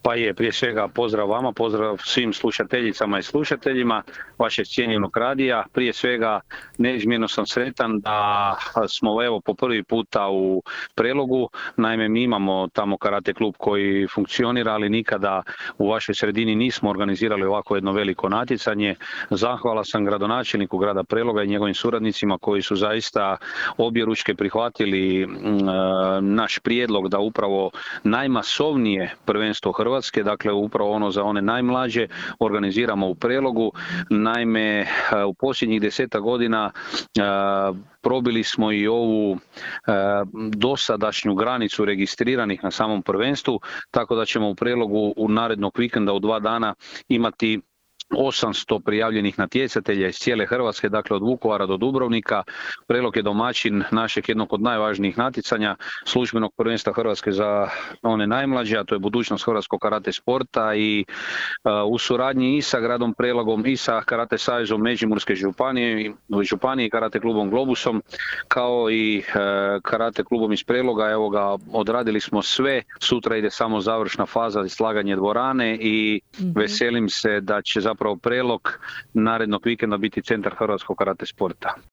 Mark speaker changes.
Speaker 1: Pa je, prije svega pozdrav vama, pozdrav svim slušateljicama i slušateljima vašeg cijenjenog radija. Prije svega neizmjerno sam sretan da smo evo po prvi puta u Prelogu. Naime, mi imamo tamo karate klub koji funkcionira, ali nikada u vašoj sredini nismo organizirali ovako jedno veliko natjecanje. Zahvala sam gradonačelniku grada Preloga i njegovim suradnicima koji su zaista objeručke prihvatili naš prijedlog da upravo najmasovnije prvenstvo Hrvatske, dakle upravo ono za one najmlađe, organiziramo u Prelogu. Naime, u posljednjih 10 godina probili smo i ovu dosadašnju granicu registriranih na samom prvenstvu, tako da ćemo u Prelogu u narednog vikenda u 2 dana imati 800 prijavljenih natjecatelja iz cijele Hrvatske, dakle od Vukovara do Dubrovnika. Prelog je domaćin našeg jednog od najvažnijih natjecanja, službenog prvenstva Hrvatske za one najmlađe, a to je budućnost hrvatskog karate sporta, i u suradnji i sa gradom Prelogom i sa Karate savezom Međimurske županije i karate klubom Globusom, kao i karate klubom iz Preloga. Evo ga, odradili smo sve, sutra ide samo završna faza i slaganje dvorane i veselim se da će zapravo Prelog narednog vikenda biti centar hrvatskog karate sporta.